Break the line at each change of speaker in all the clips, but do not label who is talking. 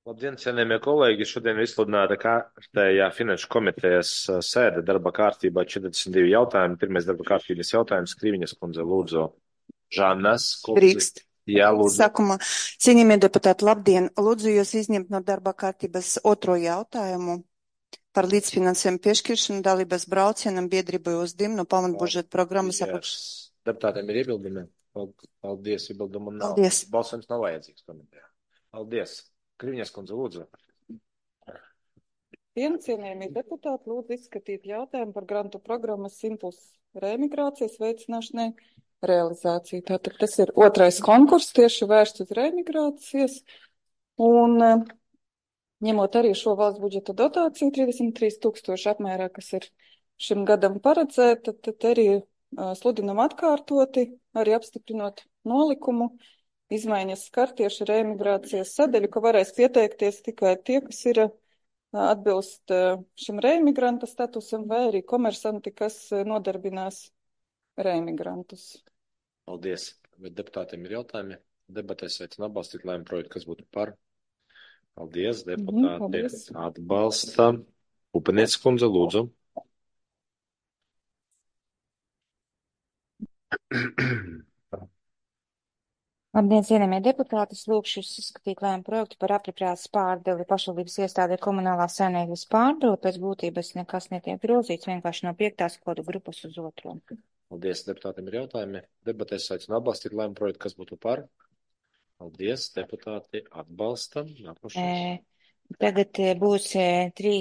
Labdien, cienījamie kolēģi! Šodien ir izsludināta kārtējā finanšu komitejas sēde darba kārtībā 42 jautājumi. Pirmais darba kārtības jautājums Krīviņas kundze lūdzu. Žanas kundze.
Drīkst.
Jā, lūdzu.
Sākumā, cienījamie deputāti, labdien! Lūdzu jūs izņemt no darba kārtības otro jautājumu par līdzfinansējumu piešķiršanu dalības braucienam biedrībai uz DIM no pamatbudžeta programmas apakš.
Deputātiem ir iebildumi. Paldies, iebildumu nav.
Paldies.
Balsojums nav vajadzīgs komitejā. Paldies. Krīviņas kundze lūdzu.
Cienījamie deputāti, lūdzu izskatīt jautājumu par grantu programmas Impulss reemigrācijas veicināšanai realizāciju. Tātad tas ir otrais konkurss tieši vērsts uz reemigrācijas un ņemot arī šo valsts budžeta dotāciju 33 000 apmērā, kas ir šim gadam paredzēta, tad arī sludinam atkārtoti, arī apstiprinot nolikumu. Izmaiņas skar tieši reemigrācijas sadaļu, ka varēs pieteikties tikai tie, kas ir atbilst šim reemigranta statusam, vai arī komersanti, kas nodarbinās reemigrantus.
Paldies. Vai deputātiem ir jautājumi? Debatēs aicinu atbalstīt lēmumu projektu, kas būtu par. Paldies. Deputāti
Paldies.
atbalsta. Upenieces kundze lūdzu.
Labdien, cienījamie deputāti, lūkšu jūs izskatīt lēmumu projektu par apropriācijas pārdali pašvaldības iestādē komunālās saimniecības pārdali. Pēc būtības nekas netiek grozīts, vienkārši no 5. kodu grupas uz 2.
Paldies, deputātiem ir jautājumi. Debatēs aicinu atbalstīt lēmumu projektu, kas būtu par. Paldies, deputāti atbalsta. Nākošais.
Tagad būs 3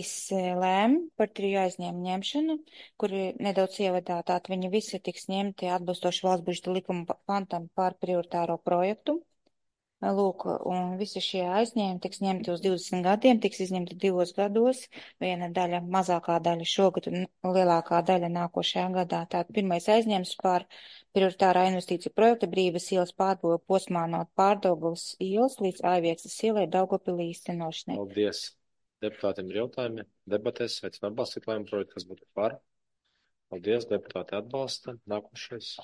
lēmumi par 3 aizņēmumu ņemšanu, kuri nedaudz ievadātāti. Viņi visi tiks ņemti atbilstoši valsts budžeta likuma pantam par prioritāro projektu. Lūk, un visi šie aizņēmumi tiks ņemti uz 20 gadiem, tiks izņemti 2 gados, viena daļa, mazākā daļa šogad un lielākā daļa nākošajā gadā. Tātad pirmais aizņēmums par prioritārā investīcija projekta Brīvas ielas pārbūve posmā no Pārdaugavas ielas līdz Aivieksnes ielai Daugavpilī īstenošanai.
Paldies. Deputātiem ir jautājumi. Debatēs aicinu atbalstīt lēmumu projektu, kas būtu par. Paldies, deputāti atbalsta. Nākošais.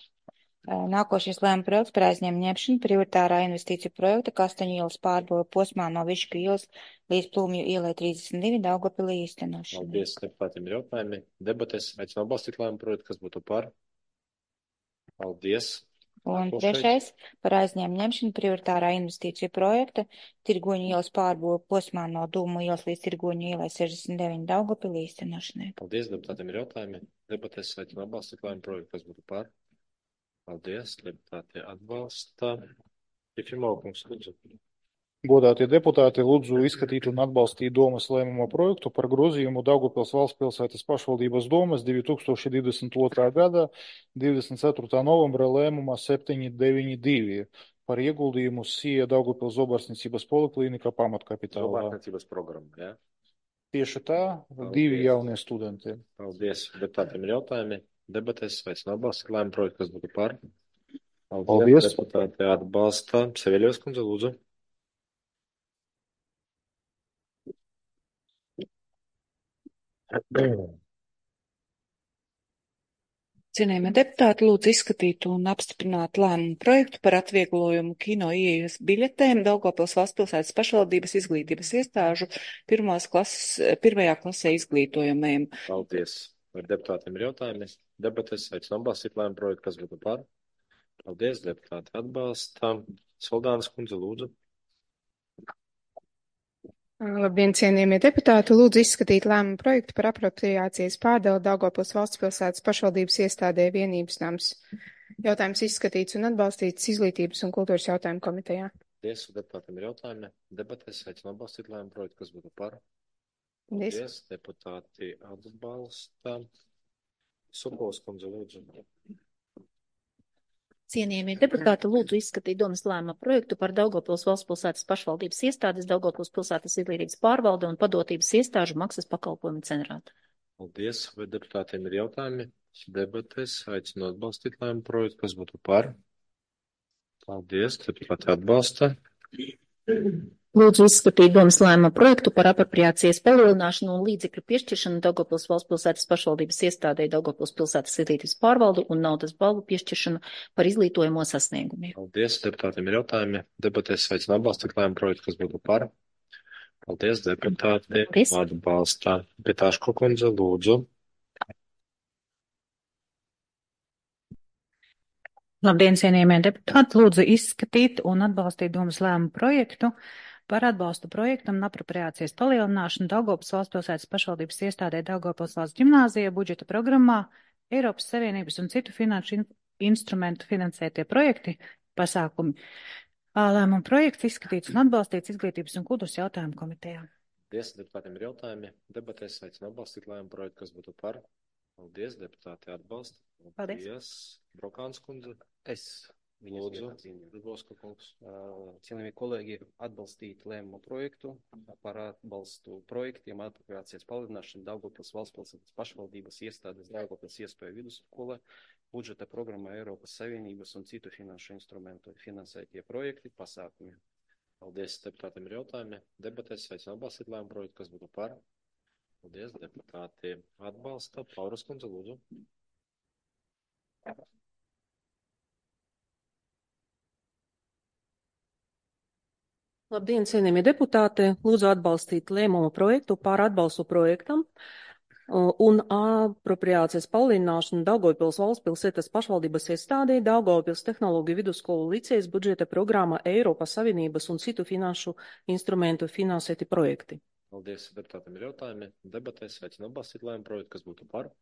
Nākošais lēmuma projekts par aizņēmumu ņemšanu prioritārā investīciju projekta Kastaņu ielas pārbūve posmā no Višku ielas līdz Plūmju ielai 32 Daugavpilī īstenošanai.
Paldies, deputātiem ir jautājumi. Debatēs aicinu atbalstīt lēmumu projektu, kas būtu par. Paldies.
Un trešais par aizņēmumu ņemšanu prioritārā investīciju projekta Tirgoņu ielas pārbūve posmā no Dūmu ielas līdz Tirgoņu ielai 69 Daugavpilī īstenošanai.
Paldies, deputātiem ir jautājumi. Debatēs aicinu atbalstīt lēmumu projektu, kas būtu par. Paldies, deputāti atbalsta. Jefimokungs, lūdzu.
Godātie deputāti, lūdzu izskatīt un atbalstīt domas lēmumu projektu par grozījumu Daugavpils valsts pilsētas pašvaldības domas 2022. gada 24. novembra lēmumā 792 par ieguldījumu SIE Daugavpils zobarstniecības poliklīnika pamatkapitālā.
Zobarstniecības programma, jā?
Tieši tā,
Paldies.
2 jaunie studenti.
Paldies, deputātiem ir jautājumi. Debatēs aicinu atbalstīt lēmumu projektu, kas būtu par.
Paldies.
Deputāti atbalsta. Seveļos kundze, lūdzu.
Cienījamie deputāti, lūdzu izskatīt un apstiprināt lēmumu projektu par atvieglojumu kino ieejas biļetēm Daugavpils valsts pilsētas pašvaldības izglītības iestāžu pirmajā klasē izglītojamajiem.
Paldies. Vai deputātiem ir jautājumi? Debatēs aicinu atbalstīt lēmumu projektu, kas būtu par. Paldies, deputāti atbalsta. Soldānas kundze, lūdzu.
Labdien, cienījamie deputāti, lūdzu izskatīt lēmumu projektu par apropriācijas pārdali Daugavpils valsts pilsētas pašvaldības iestādē Vienības nams. Jautājums izskatīts un atbalstīts izglītības un kultūras jautājumu komitejā.
Paldies, deputātiem ir jautājumi. Debatēs aicinu atbalstīt lēmumu projektu, kas būtu par.
Paldies.
Paldies, deputāti atbalsta. Supols kundze, lūdzu.
Cienījamie deputāti, lūdzu izskatīt domas lēmuma projektu par Daugavpils valsts pilsētas pašvaldības iestādes, Daugavpils pilsētas izglītības pārvalde un padotības iestāžu maksas pakalpojumu centrātu.
Paldies, vai deputātiem ir jautājumi? Debatēs aicinu atbalstīt lēmumu projektu, kas būtu par. Paldies, deputāti atbalsta.
Lūdzu izskatīt domas lēmuma projektu par apropriācijas palielināšanu un līdzekļu piešķiršanu Daugavpils valsts pilsētas pašvaldības iestādē, Daugavpils pilsētas izglītības pārvaldu un naudas balvu piešķiršanu par izglītojamo sasniegumiem.
Paldies, deputātiem ir jautājumi. Debatēs aicinu atbalstīt lēmumu projektu, kas būtu par. Paldies, deputāti.
Paldies.
Atbalsta. Pitāško kundze, lūdzu.
Labdien, cienījamie deputāti! Lūdzu izskatīt un atbalstīt domas lēmumu projektu par atbalstu projektam un apropriācijas palielināšanu Daugavpils valstspilsētas pašvaldības iestādē Daugavpils valsts ģimnāzija budžeta programmā Eiropas Savienības un citu finanšu instrumentu finansētie projekti pasākumi. Lēmumu projekts izskatīts un atbalstīts Izglītības un kultūras jautājumu komitejā.
Paldies, deputātiem ir jautājumi. Debatēs aicinu atbalstīt lēmumu projektu, kas būtu par. Paldies, deputāti atbalsta.
Paldies.
Brokāns kundze.
Es viņas
Lūdzu.
vietā cīnījos.
Dubovska kungs.
Cienījamie kolēģi, atbalstīt lēmumu projektu par atbalstu projektiem apropriācijas palielināšanu Daugavpils valstspilsētas pašvaldības iestādes Daugavpils iespēju vidusskola, budžeta programma Eiropas Savienības un citu finanšu instrumentu finansētie projekti pasākumi.
Paldies, deputātiem ir jautājumi. Debatēs aicinu atbalstīt lēmumu projektu, kas būtu par. Paldies, deputāti atbalsta. Pauras kundze, lūdzu.
Labdien, cienījamie deputāti! Lūdzu atbalstīt lēmumu projektu par atbalstu projektam un apropriācijas palielināšanu Daugavpils valstspilsētas pašvaldības iestādē Daugavpils tehnoloģiju vidusskolu licejas budžeta programma Eiropas Savienības un citu finanšu instrumentu finansēti projekti.
Paldies, deputātiem ir jautājumi. Debatēs aicinu atbalstīt lēmumu projektu, kas būtu par.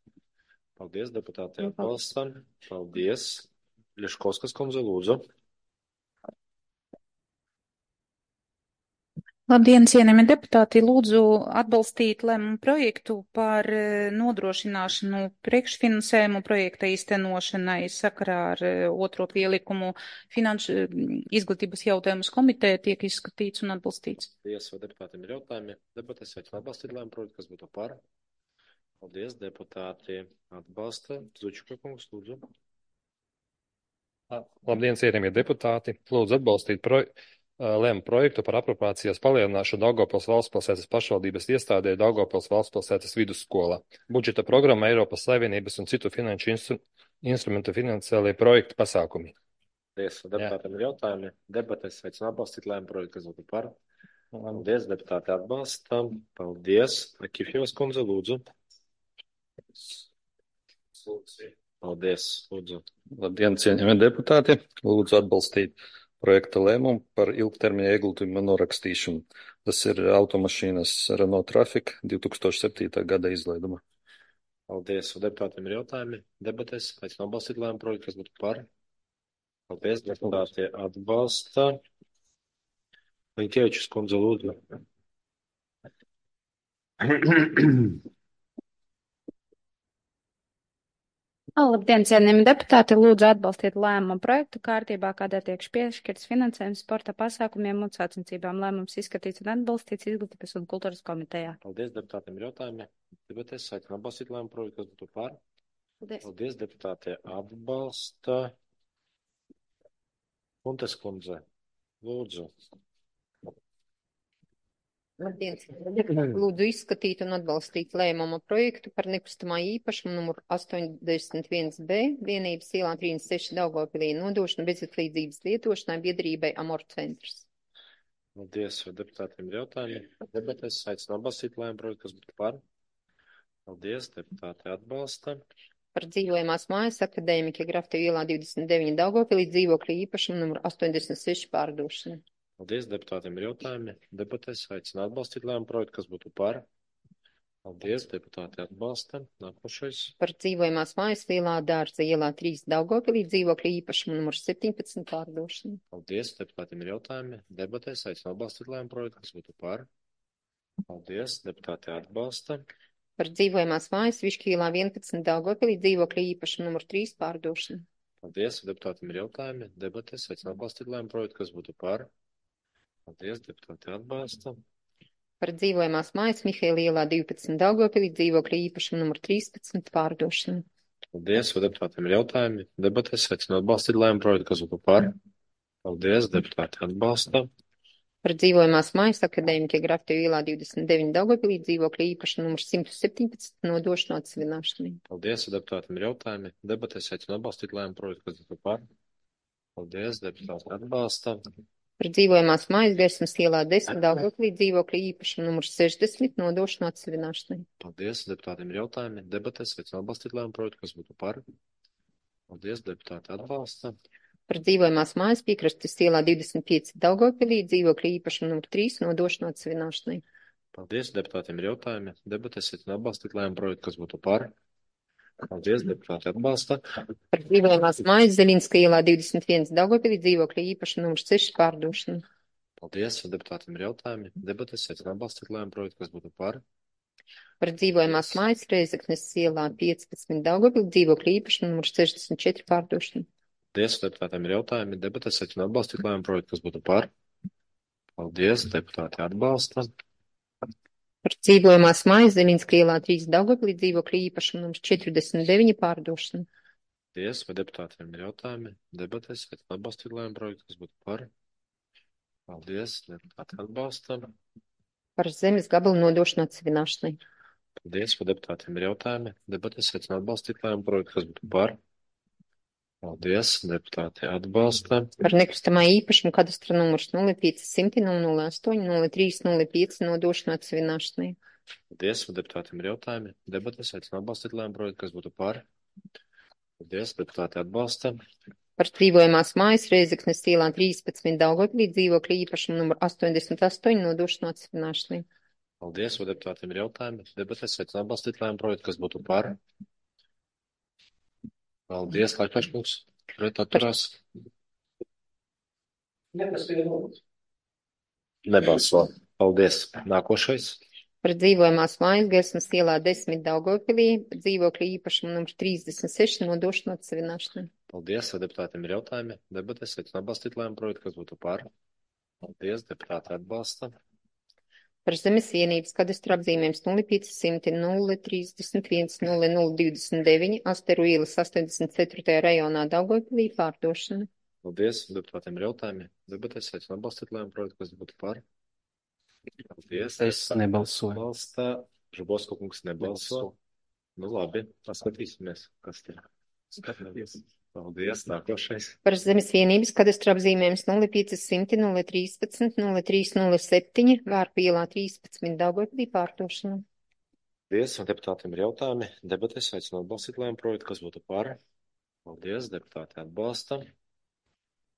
Paldies, deputāti atbalsta. Paldies. Ļeškovskas kundze, lūdzu.
Labdien, cienījamie deputāti! Lūdzu atbalstīt lēmumu projektu par nodrošināšanu priekšfinansējumu projekta īstenošanai sakarā ar otro pielikumu finanšu izglītības jautājumus komiteja tiek izskatīts un atbalstīts.
Paldies, vai deputātiem ir jautājumi. Debatēs aicinu atbalstīt lēmumu projektu, kas būtu par. Paldies, deputāti atbalsta. Zučika kungs, lūdzu.
Labdien, cienījamie deputāti! Lūdzu atbalstīt lēmumu projektu par apropriācijas palielināšanu Daugavpils valstspilsētas pašvaldības iestādē Daugavpils valstspilsētas vidusskolā. Budžeta programma Eiropas Savienības un citu finanšu instrumentu finansiālie projekti pasākumi.
Paldies, deputātiem ir jautājumi. Debatēs aicinu atbalstīt lēmumu projektu, kas būtu par. Paldies, deputāti atbalsta. Paldies. Akifjevas kundze, lūdzu. Paldies, lūdzu.
Labdien, cienījamie deputāti! Lūdzu atbalstīt projekta lēmumu par ilgtermiņa ieguldījumu norakstīšanu. Tas ir automašīnas Renault Traffic 2007. gada izlaiduma.
Paldies, deputātiem ir jautājumi. Debatēs aicinu atbalstīt lēmumu projektu, kas būtu par. Paldies, deputāti atbalsta. Linkievičs kundze, lūdzu.
Labdien, cienījami deputāti! Lūdzu atbalstīt lēmumu projektu kārtībā, kādā tiek piešķirts finansējums sporta pasākumiem un sacensībām. Lēmums izskatīts un atbalstīts Izglītības un kultūras komitejā.
Paldies, deputātiem ir jautājumi. Debatēs aicinu atbalstīt lēmumu projektu, kas būtu par. Paldies, deputāti atbalsta. Kuntes kundze, lūdzu.
Labdien, lūdzu izskatīt un atbalstīt lēmumu projektu par nekustamā īpašumu numuru 81B vienības ielā 36 Daugavpilī nodošanu bezatlīdzības lietošanai biedrībai Amor centrs.
Paldies, vai deputātiem ir jautājumi. Debatēs aicinu atbalstīt lēmumu projektu, kas būtu par. Paldies, deputāti atbalsta.
Par dzīvojamās mājas akadēmika Grafta ielā 29 Daugavpilī dzīvokļu īpašumu numuru 86 pārdošanu.
Paldies, deputātiem ir jautājumi. Debatēs aicinu atbalstīt lēmumu projektu, kas būtu par. Paldies, deputāti atbalsta. Nākošais.
Par dzīvojamās mājas Lielā dārza ielā 3 Daugavpilī dzīvokļu īpašumu numuru 17 pārdošanu.
Paldies, deputātiem ir jautājumi. Debatēs aicinu atbalstīt lēmumu projektu, kas būtu par. Paldies, deputāti atbalsta.
Par dzīvojamās mājas Višķi ielā 11 Daugavpilī dzīvokļu īpašumu numuru 3 pārdošanu.
Paldies, deputātiem ir jautājumi. Debatēs aicinu atbalstīt lēmumu projektu, kas būtu par. Paldies, deputāti atbalsta.
Par dzīvojamās mājas Mihaila ielā 12 Daugavpilī dzīvokļu īpašumu numuru 13 pārdošanu.
Paldies, vai deputātiem ir jautājumi. Debatēs aicinu atbalstīt lēmumu projektu, kas būtu par. Paldies, deputāti atbalsta.
Par dzīvojamās mājas akadēmika Grafta ielā 29 Daugavpilī dzīvokļu īpašumu numuru 117 nodošanu atsevināšanai.
Paldies, vai deputātiem ir jautājumi. Debatēs aicinu atbalstīt lēmumu projektu, kas būtu par. Paldies, deputāti atbalsta.
Par dzīvojamās mājas Gaismas ielā 10 Daugavpilī dzīvokļa īpašuma numurs 60 nodošanu atsevināšanai.
Paldies. Deputātiem ir jautājumi. Debatēs aicinu atbalstīt lēmumu projektu, kas būtu par. Paldies. Deputāti atbalsta.
Par dzīvojamās mājas Piekrastes ielā 25 Daugavpilī dzīvokļa īpašuma numurs 3 nodošanu atsevināšanai.
Paldies. Deputātiem ir jautājumi. Debatēs aicinu atbalstīt lēmumu projektu, kas būtu par. Paldies. Deputāti atbalsta.
Par dzīvojamās mājas Zeļinska ielā 21 Daugavpilī dzīvokļa īpašuma numurs 6 pārdošanu.
Paldies. Deputātiem ir jautājumi. Debatēs aicinu atbalstīt lēmumu projektu, kas būtu par.
Par dzīvojamās mājas Reizeknes ielā 15 Daugavpilī dzīvokļa īpašuma numurs 64 pārdošanu.
Paldies. Deputātiem ir jautājumi. Debatēs aicinu atbalstīt lēmumu projektu, kas būtu par. Paldies. Deputāti atbalsta.
Par dzīvojamās mājas Zeļinska ielā 3 Daugavpilī dzīvokļa īpašuma numurs 49 pārdošanu.
Paldies. Vai deputātiem ir jautājumi? Debatēs aicinu atbalstīt lēmumu projektu, kas būtu par. Paldies. Deputāti atbalsta.
Par zemes gabalu nodošanu atsevināšanai.
Paldies. Vai deputātiem ir jautājumi? Debatēs aicinu atbalstīt lēmumu projektu, kas būtu par. Paldies. Deputāti atbalsta.
Par nekustamā īpašuma kadastra numurs 0500 008 0305 nodošanu atsevināšanai.
Paldies. Vai deputātiem ir jautājumi? Debatēs aicinu atbalstīt lēmumu projektu, kas būtu par. Paldies. Deputāti atbalsta.
Par dzīvojamās mājas Reizeknes ielā 13 Daugavpilī dzīvokļa īpašuma numur 88 nodošanu atsevināšanai.
Paldies. Vai deputātiem ir jautājumi? Debatēs aicinu atbalstīt lēmumu projektu, kas būtu par. Paldies, Laikpaškungs. Pret atturās. Nebalso. Paldies. Nākošais.
Par dzīvojamās mājas Gaismas ielā 10 Daugavpilī dzīvokļa īpašuma numurs 36 nodošanu atsevināšanai.
Paldies. Vai deputātiem ir jautājumi? Debatēs aicinu atbalstīt lēmumu projektu, kas būtu par. Paldies. Deputāti atbalsta.
Par zemes vienības kadastra apzīmējums 0500 031 0029 Asteru ielas 84. rajonā Daugavpilī pārdošana.
Paldies. Deputātiem ir jautājumi. Debatēs aicinu atbalstīt lēmumu projektu, kas būtu par. Paldies.
Es nebalsoju.
Atbalsta. Žubosko kungs nebalso. Nu labi, paskatīsimies, kas te skatāties. Paldies. Nākošais.
Par zemes vienības kadastra apzīmējums 0500 013 0307 Vārpu ielā 13 Daugavpilī pārdošana.
Paldies. Un deputātiem ir jautājumi. Debatēs aicinu atbalstīt lēmumu projektu, kas būtu par. Paldies. Deputāti atbalsta.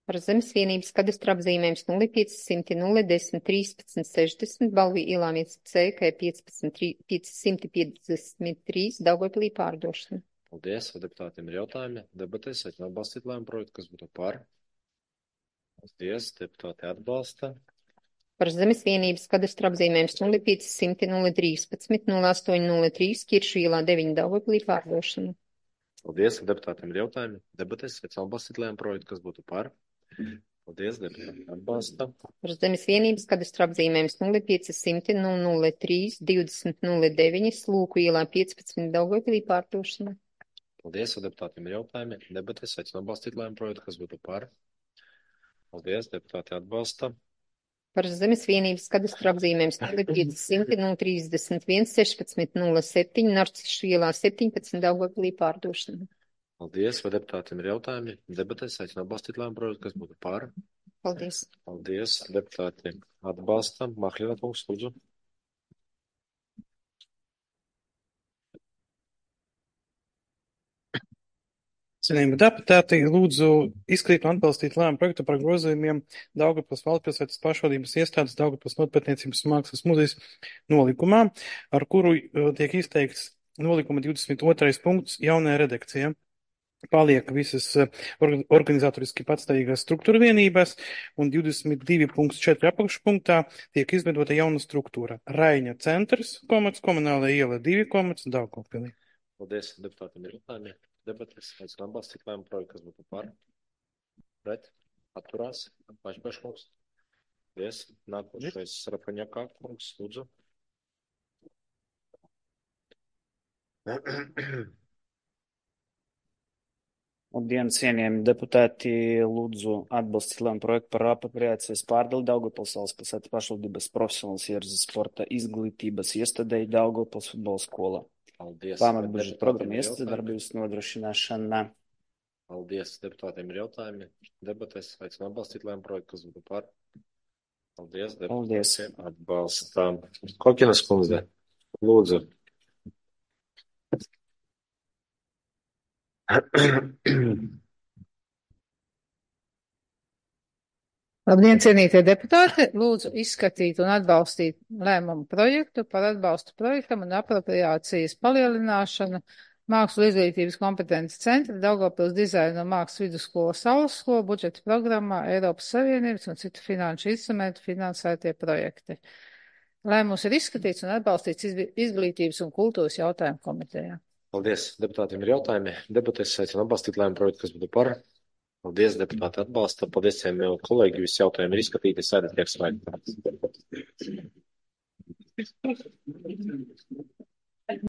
Par zemes vienības kadastra apzīmējums 0500 010 13 60 Balvī ielā 1C, kā 553 Daugavpilī pārdošana.
Paldies. Vai deputātiem ir jautājumi? Debatēs aicinu atbalstīt lēmumu projektu, kas būtu par. Paldies. Deputāti atbalsta.
Par zemes vienības kadastra apzīmējums 0500 013 0803 Kiršu ielā 9 Daugavpilī pārdošana.
Paldies. Vai deputātiem ir jautājumi? Debatēs aicinu atbalstīt lēmumu projektu, kas būtu par. Paldies. Deputāti atbalsta.
Par zemes vienības kadastra apzīmējums 0500 003 20 09 Slūku ielā 15 Daugavpilī pārdošana.
Paldies. Vai deputātiem ir jautājumi? Debatēs aicinu atbalstīt lēmumu projektu, kas būtu par. Paldies. Deputāti atbalsta.
Par zemes vienības kadastra apzīmējums 0500 031 16 07 Narcišu ielā 17 Daugavpilī pārdošana.
Paldies. Vai deputātiem ir jautājumi? Debatēs aicinu atbalstīt lēmumu projektu, kas būtu par.
Paldies.
Paldies. Deputāti atbalsta. Mahļina kungs, lūdzu.
Cienījami deputāti, lūdzu izskatīt un atbalstīt lēmumu projektu par grozījumiem Daugavpils valstspilsētas pašvaldības iestādes Daugavpils Notpētniecības un mākslas muzejas nolikumā, ar kuru tiek izteikts nolikuma 22. punkts jaunajā redakcijā. Paliek visas organizatoriski patstāvīgās struktūra vienības un 22.4 apakšpunktā tiek izveidota jauna struktūra. Raiņa centrs, komunālā iela 2, Daugavpilī.
Paldies. Deputātiem ir jautājumi. Debatēs aicinu atbalstīt lēmumu projektu, kas būtu par. Pret. Atturās. Pašpaškungs. Paldies. Nākošais Sarapaņakā kungs, lūdzu.
Labdien, cienījami deputāti, lūdzu atbalstīt lēmumu projektu par apropriācijas pārdali Daugavpils valstspilsētas pašvaldības profesionālas ierzes sporta izglītības iestādei Daugavpils futbola skolā.
Paldies.
Pamatbudžeta programma iestādes darbības nodrošināšana
Paldies. Deputātiem ir jautājumi. Debatēs aicinu atbalstīt lēmumu projektu, kas būtu par. Paldies. Deputātiem atbalstām. Kokinas kundze, lūdzu.
Labdien, cienītie deputāti! Lūdzu izskatīt un atbalstīt lēmumu projektu par atbalstu projektam un apropriācijas palielināšanu Mākslu izglītības kompetences centra Daugavpils dizaina un mākslas vidusskola Saules skola budžeta programmā Eiropas Savienības un citu finanšu instrumentu finansētie projekti. Lēmums ir izskatīts un atbalstīts izglītības un kultūras jautājumu komitejā.
Paldies. Deputātiem ir jautājumi. Debatēs aicinu atbalstīt lēmumu projektu, kas būtu par. Paldies, deputāti atbalsta. Paldies, cienījamie kolēģi. Visi jautājumi ir izskatīti. Sēdēt tiek slēgti.